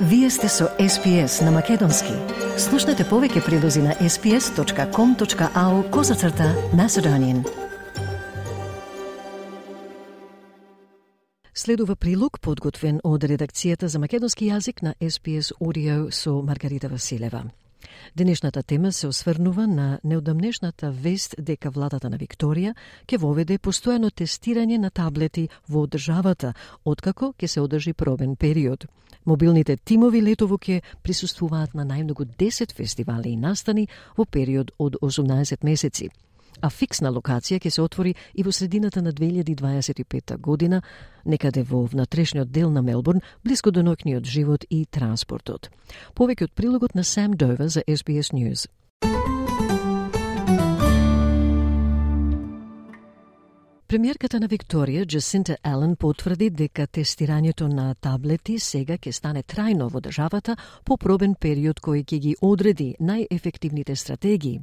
Вие сте со SPS на Македонски. Слушнете повеќе прилози на sps.com.au/Macedonian. Следува прилог подготвен од редакцијата за македонски јазик на SPS Audio со Маргарита Василева. Денешната тема се осврнува на неодамнешната вест дека владата на Викторија ќе воведе постојано тестирање на таблети во државата, откако ќе се одржи пробен период. Мобилните тимови летово ќе присуствуваат на најмногу 10 фестивали и настани во период од 18 месеци. А фиксна локација ќе се отвори и во средината на 2025 година, некаде во внатрешниот дел на Мелбурн, блиско до ноќниот живот и транспортот. Повеќе од прилогот на Сам Довер за SBS News. Премиерката на Викторија, Джасинта Ален, потврди дека тестирањето на таблети сега ќе стане трајно во државата по пробен период кој ќе ги одреди најефективните стратегии.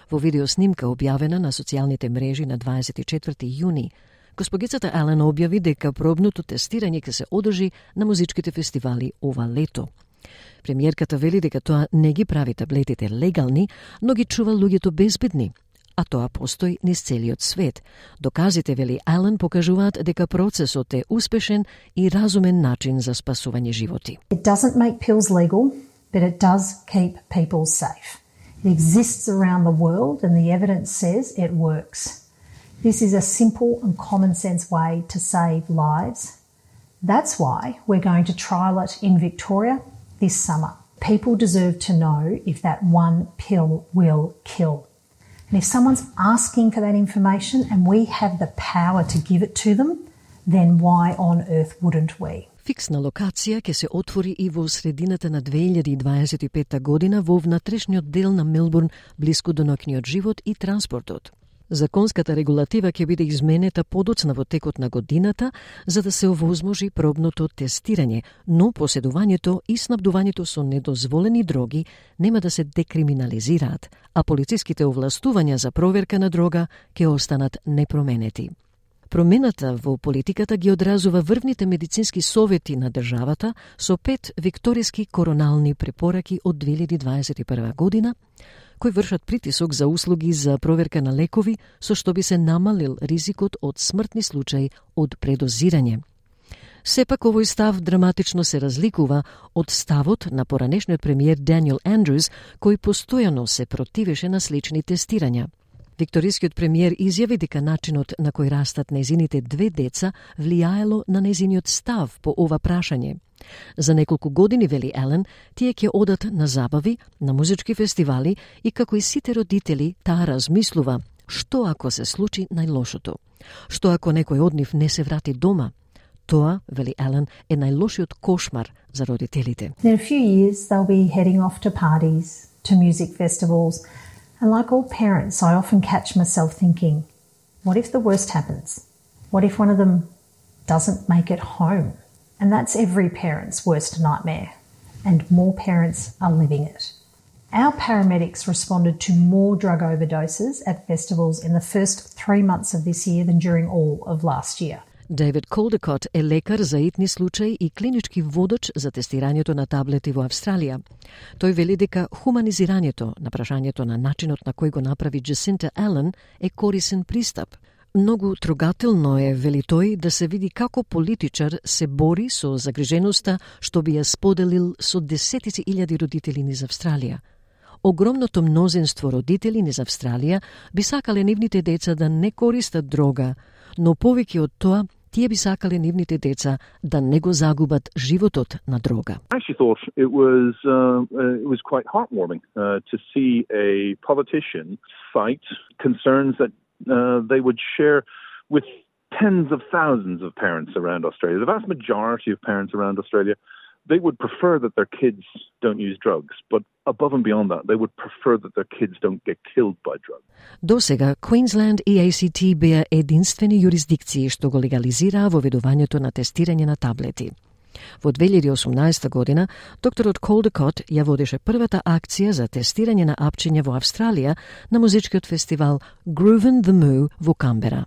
Во видеоснимка објавена на социјалните мрежи на 24 јуни, госпогицата Ален објави дека пробното тестирање ќе се одржи на музичките фестивали ова лето. Премиерката вели дека тоа не ги прави таблетите легални, но ги чува луѓето безбедни, а тоа постои низ целиот свет. Доказите, вели Ален, покажуваат дека процесот е успешен и разумен начин за спасување животи. It doesn't make pills legal, but it does keep people safe. It exists around the world and the evidence says it works. This is a simple and common sense way to save lives. That's why we're going to trial it in Victoria this summer. People deserve to know if that one pill will kill. And if someone's asking for that information and we have the power to give it to them, then why on earth wouldn't we? Фиксна локација ќе се отвори и во средината на 2025 година во внатрешниот дел на Мелбурн, блиско до ноќниот живот и транспортот. Законската регулатива ќе биде изменета подоцна во текот на годината за да се овозможи пробното тестирање, но поседувањето и снабдувањето со недозволени дроги нема да се декриминализираат, а полициските овластувања за проверка на дрога ќе останат непроменети. Промената во политиката ги одразува врвните медицински совети на државата со 5 викториски коронални препораки од 2021 година, кои вршат притисок за услуги за проверка на лекови, со што би се намалил ризикот од смртни случаи од предозирање. Сепак овој став драматично се разликува од ставот на поранешниот премиер Даниел Андрус, кој постојано се противеше на слични тестирања. Викторискиот премиер изјави дека начинот на кој растат незините 2 деца влијаело на незиниот став по ова прашање. За неколку години, вели Ален, тие ќе одат на забави, на музички фестивали и како и сите родители, таа размислува што ако се случи најлошото. Што ако некој од нив не се врати дома? Тоа, вели Ален, е најлошиот кошмар за родителите. In a few years they'll be heading off to parties, to music festivals. And like all parents, I often catch myself thinking, what if the worst happens? What if one of them doesn't make it home? And that's every parent's worst nightmare. And more parents are living it. Our paramedics responded to more drug overdoses at festivals in the first 3 months of this year than during all of last year. Дейвид Колдекот е лекар за итни случаи и клинички водач за тестирањето на таблети во Австралија. Тој вели дека хуманизирањето на прашањето на начинот на кој го направи Джасинта Ален е корисен пристап. Многу трогателно е, вели тој, да се види како политичар се бори со загриженоста што би ја споделил со десетици илјади родители низ Австралија. Огромното мнозинство родители низ Австралија би сакале нивните деца да не користат дрога, но повеќе од тоа, тие би сакале нивните деца да не го загубат животот на дрога. I actually thought it was quite heartwarming to see a politician fight concerns that they would share with tens of thousands of parents around Australia. The vast majority of parents around Australia, they would prefer that their kids don't use drugs, but above and beyond that, they would prefer that their kids don't get killed by drugs. Досега, Queensland и ACT беа единствени јурисдикции што го легализираа воведувањето на тестирање на таблети. Во 2018 година, докторот Колдекот ја водеше првата акција за тестирање на апчиња во Австралија на музичкиот фестивал Groovin' the Moo во Камбера.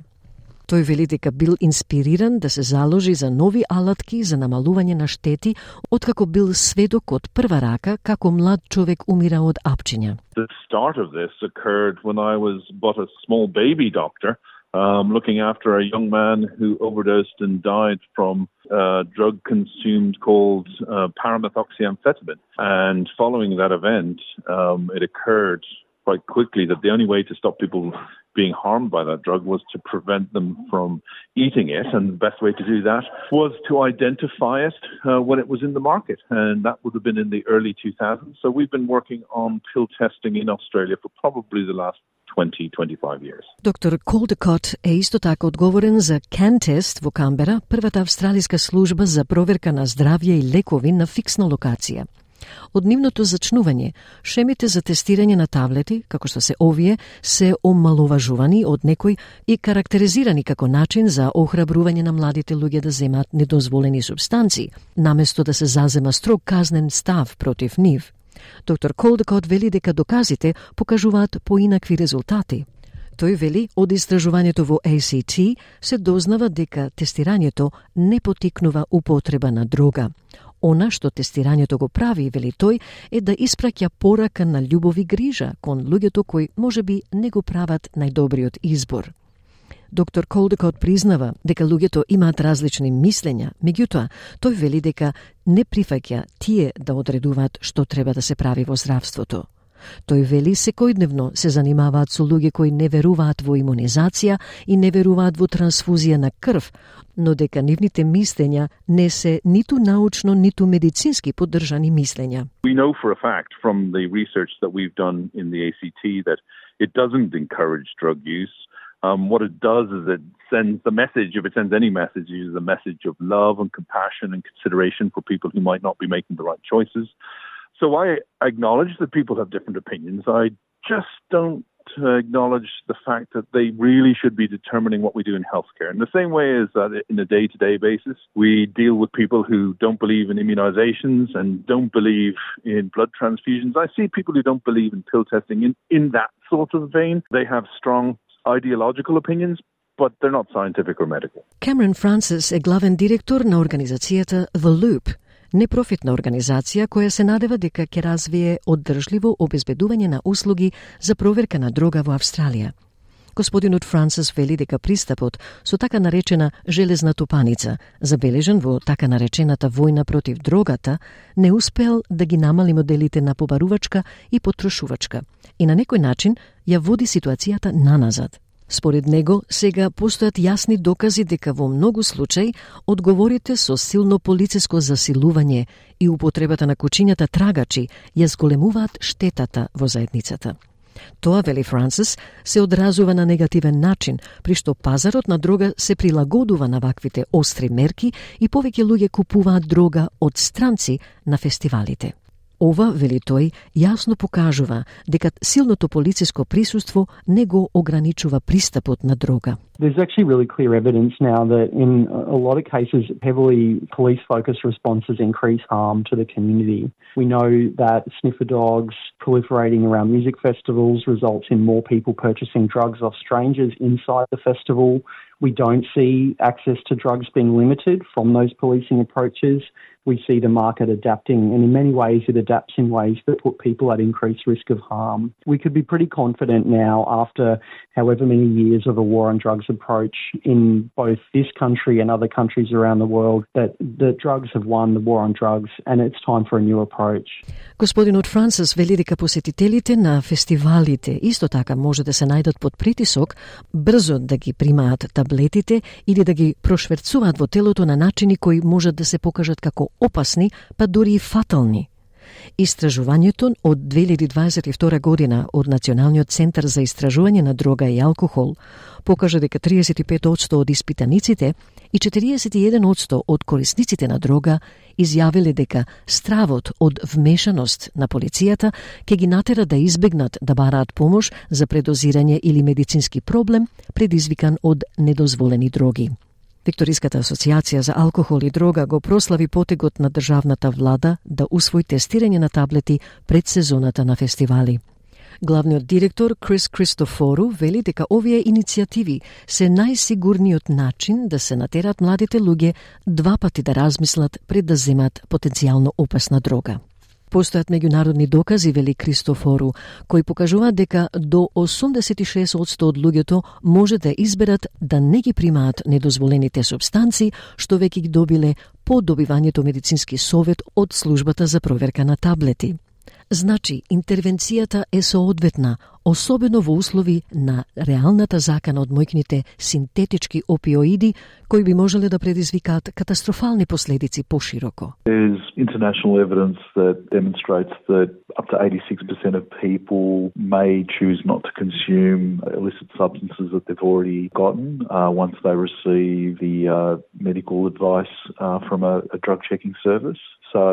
Тој вели дека бил инспириран да се заложи за нови алатки за намалување на штети, откако бил сведок од прва рака како млад човек умира од апчиња. The start of this occurred when I was but a small baby doctor, looking after a young man who overdosed and died from a drug consumed called paramethoxyamphetamine. And following that event, it occurred quite quickly that the only way to stop people being harmed by that drug was to prevent them from eating it, and the best way to do that was to identify it when it was in the market, and that would have been in the early 2000s. So we've been working on pill testing in Australia for probably the last 20-25 years. Доктор Колдекот е исто така одговорен за CanTest во Камбера, првата австралиска служба за проверка на здравје и лекови на фиксна локација. Од нивното зачнување, шемите за тестирање на таблети, како што се овие, се омаловажувани од некој и карактеризирани како начин за охрабрување на младите луѓе да земат недозволени субстанции, наместо да се зазема строг казнен став против нив. Доктор Колдекот вели дека доказите покажуваат поинакви резултати. Тој вели, од истражувањето во ACT се дознава дека тестирањето не потикнува употреба на дрога. Она што тестирањето го прави, вели тој, е да испраќа порака на љубов и грижа кон луѓето кои можеби не го прават најдобриот избор. Доктор Колдекот признава дека луѓето имаат различни мислења, меѓутоа, тој вели дека не прифаќа тие да одредуваат што треба да се прави во здравството. Тој вели секојдневно се занимаваат со луѓе кои не веруваат во имунизација и не веруваат во трансфузија на крв, но дека нивните мислења не се ниту научно, ниту медицински поддржани мислења. We know for a fact from the research that we've done in the ACT that it doesn't encourage drug use. What it does is it sends the message, if it sends any message, it is a message of love and compassion and consideration for people who might not be making the right choices. So I acknowledge that people have different opinions. I just don't acknowledge the fact that they really should be determining what we do in healthcare. In the same way as that in a day-to-day basis, we deal with people who don't believe in immunizations and don't believe in blood transfusions. I see people who don't believe in pill testing in that sort of vein. They have strong ideological opinions, but they're not scientific or medical. Cameron Francis е главен директор на организацијата The Loop, непрофитна организација која се надева дека ќе развие оддржливо обезбедување на услуги за проверка на дрога во Австралија. Господинот Франсис вели дека пристапот со така наречена железна тупаница, забележен во така наречената војна против дрогата, не успел да ги намали моделите на побарувачка и потрошувачка и на некој начин ја води ситуацијата наназад. Според него, сега постојат јасни докази дека во многу случаи одговорите со силно полициско засилување и употребата на кучињата трагачи ја зголемуваат штетата во заедницата. Тоа, вели Франсис, се одразува на негативен начин, при што пазарот на дрога се прилагодува на ваквите остри мерки и повеќе луѓе купуваат дрога од странци на фестивалите. Ова, вели тој, јасно покажува дека силното полициско присуство не го ограничува пристапот на дрога. There's actually really clear evidence now that in a lot of cases, heavily police-focused responses increase harm to the community. We know that sniffer dogs proliferating around music festivals results in more people purchasing drugs off strangers inside the festival. We don't see access to drugs being limited from those policing approaches. We see the market adapting, and in many ways it adapts in ways that put people at increased risk of harm. We could be pretty confident now, after however many years of a war on drugs approach in both this country and other countries around the world, that the drugs have won the war on drugs and it's time for a new approach. Господинот Франсис вели дека посетителите на фестивалите исто така може да се најдат под притисок брзо да ги примаат таблетите или да ги прошверцуваат во телото на начини кои можат да се покажат како опасни, па дури и фатални. Истражувањето од 2022 година од Националниот центар за истражување на дрога и алкохол покажа дека 35% од испитаниците и 41% од корисниците на дрога изјавиле дека стравот од вмешаност на полицијата ќе ги натера да избегнат да бараат помош за предозирање или медицински проблем предизвикан од недозволени дроги. Викториската асоциација за алкохол и дрога го прослави потегот на државната влада да усвои тестирање на таблети пред сезоната на фестивали. Главниот директор Крис Кристофору вели дека овие иницијативи се најсигурниот начин да се натерат младите луѓе два пати да размислат пред да земат потенцијално опасна дрога. Постојат меѓународни докази, вели Кристофору, кои покажуваат дека до 86% од луѓето може да изберат да не ги примаат недозволените супстанци, што веќе ги добиле по добивањето медицински совет од службата за проверка на таблети. Значи, интервенцијата е соодветна, особено во услови на реалната закана од мојкните синтетички опиоиди, кои би можеле да предизвикаат катастрофални последици пошироко. There's international evidence that demonstrates that up to 86% of people may choose not to consume illicit substances that they've already gotten once they receive the medical advice from a drug checking service. So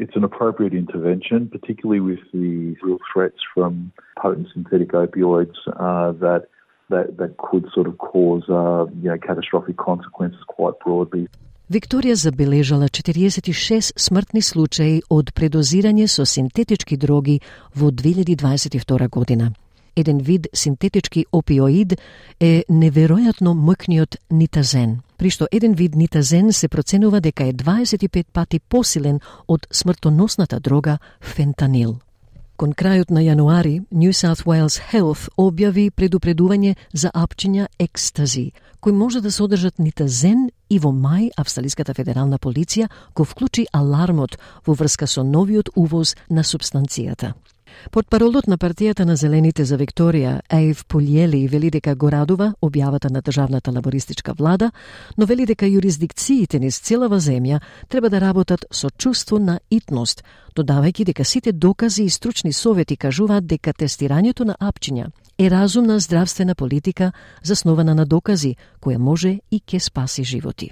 it's an appropriate intervention, particularly with the real threats from potent synthetic opioids that could sort of cause catastrophic consequences quite broadly. Викторија забележала 46 смртни случаи од предозирање со синтетички дроги во 2022 година. Еден вид синтетички опиоид е неверојатно моќниот нитазен, при што еден вид нитазен се проценува дека е 25 пати посилен од смртоносната дрога фентанил. Кон крајот на јануари, New South Wales Health објави предупредување за апчиња екстази, кои може да содржат нитазен, и во мај Австралиската федерална полиција го вклучи алармот во врска со новиот увоз на супстанцијата. Портпаролот на партијата на Зелените за Викторија, Еив Пулјели, вели дека го радува објавата на државната лабористичка влада, но вели дека юрисдикциите низ целава земја треба да работат со чувство на итност, додавајќи дека сите докази и стручни совети кажуваат дека тестирањето на апчиња е разумна здравствена политика заснована на докази, која може и ке спаси животи.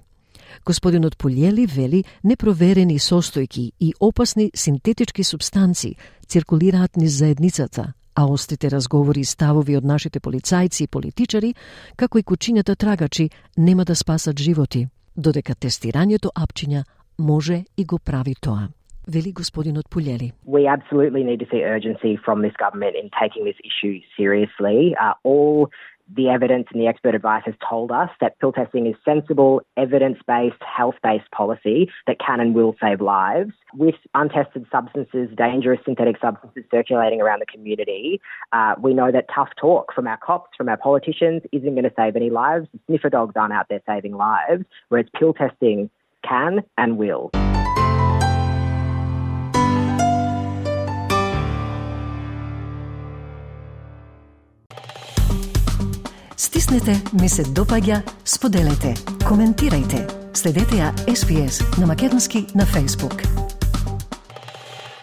Господинот Пулјели вели непроверени состојки и опасни синтетички супстанци циркулираат низ заедницата, а острите разговори и ставови од нашите полицајци и политичари, како и кучињата трагачи, нема да спасат животи, додека тестирањето апчиња може и го прави тоа. Вели господинот Пулјели. We absolutely need to see urgency from this government in taking this issue seriously. All the evidence and the expert advice has told us that pill testing is sensible, evidence-based, health-based policy that can and will save lives. With untested substances, dangerous synthetic substances circulating around the community, we know that tough talk from our cops, from our politicians, isn't going to save any lives. The sniffer dogs aren't out there saving lives, whereas pill testing can and will. Стиснете, ми се допаѓа, споделете, коментирајте. Следете ја SPS на македонски на Facebook.